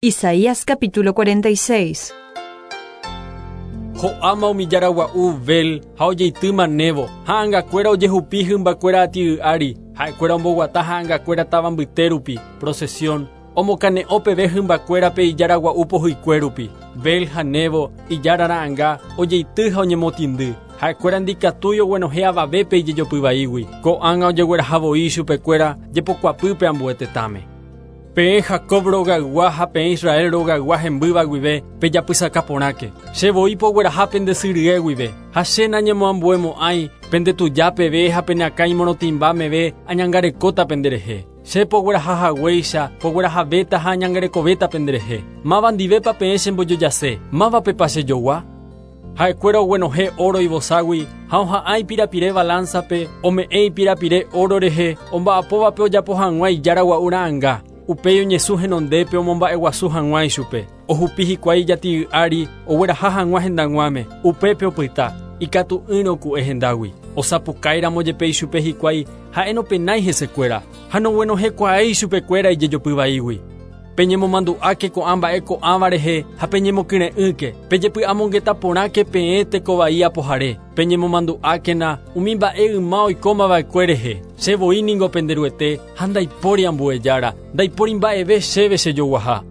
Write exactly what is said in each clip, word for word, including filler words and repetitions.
Isaías capítulo cuarenta y seis. Ho'áma umi jára gua'u Bel ha ojeitýma Nebo, ha'angakuéra ojehupi hymbakuéra ati'y ári, ha'ekuéra omboguata ha'angakuéra táva mbyte rupi, procesión, omokane'õ peve hymbakuérape ijára gua'u pohyikue rupi. Bel ha Nebo, ijára ra'anga, ojeity ha oñemotĩndy. Ha'ekuéra ndikatúi oguenohẽ avavépe ijejopy vaígui. Ko'ág̃a ojegueraha voi chupekuéra jepokuapýpe ambue tetãme. Peẽ Jacob rogaygua ha peẽ Israel rogaygua hembýva guive pejapysaka porãke. Che voi pogueraha pende sy rye guive. Ha che nañemoambuemo'ãi pende tuja peve ha pene akã imorotĩmba meve añangarekóta penderehe. Che pogueraha haguéicha, poguerahavéta ha añangarekovéta penderehe. Máva ndivépa peẽ chembojojase, mávapepa chejogua? Ha'ekuéra oguenohẽ oro ivoságui ha oha'ã ipirapire balanzape, ome'ẽ ipirapire oro rehe, omba'apóvape ojapo hag̃ua ijára gua'u ra'anga. Upéi oñesũ henondépe omomba'eguasu hag̃ua ichupe. Ohupi hikuái ijati'y ári ogueraha hag̃ua hendag̃uáme. Upépe opyta, ikatu'ỹre oku'e hendágui. Osapukáiramo jepe ichupe hikuái ha'e nopenái hesekuéra ha noguenohẽkuaái ichupekuéra ijejopy vaígui. Peñemomandu'áke ko'ã mba'e ko'ãva rehe ha peñemokyre'ỹke, pejepy'amongeta porãke peẽ tekovai apohare, peñemomandu'ákena umi mba'e yma oikómava'ekue rehe. Che voi ningo pende Ruete ha ndaipóri ambue jára, ndaipóri mba'eve chéve chejoguaha.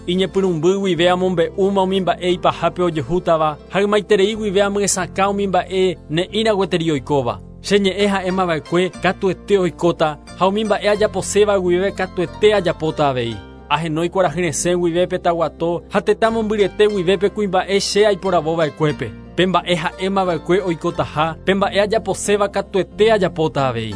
Iñepyrũmby guive amombe'úma umi mba'e ipahápe ojehútava ha ymaiterei guive amyesakã umi mba'e ne'ĩra gueteri oikóva. Che ñe'ẽ ha'émava'ekue katuete oikóta ha umi mba'e ajaposéva guive katuete ajapóta avei. Ahenói kuarahy resẽ guive pe taguato ha tetã mombyryete guive pe kuimba'e che aiporavova'ekuépe. Pe mba'e ha'émava'ekue oikotaha, pe mba'e ajaposéva katuete ajapóta avei.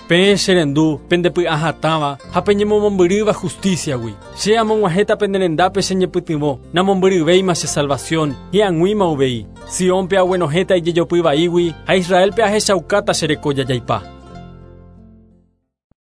Peẽ cherendu, pendepy'ahatãva ha peñemomombyrýva justiciagui. Che amog̃uahẽta pende rendápe che ñepytyvõ, namombyryvéima che salvación, hi'ag̃uíma uvei. Siónpe aguenohẽta ijejopy vaígui ha Israelpe ahechaukáta che reko jajaipa.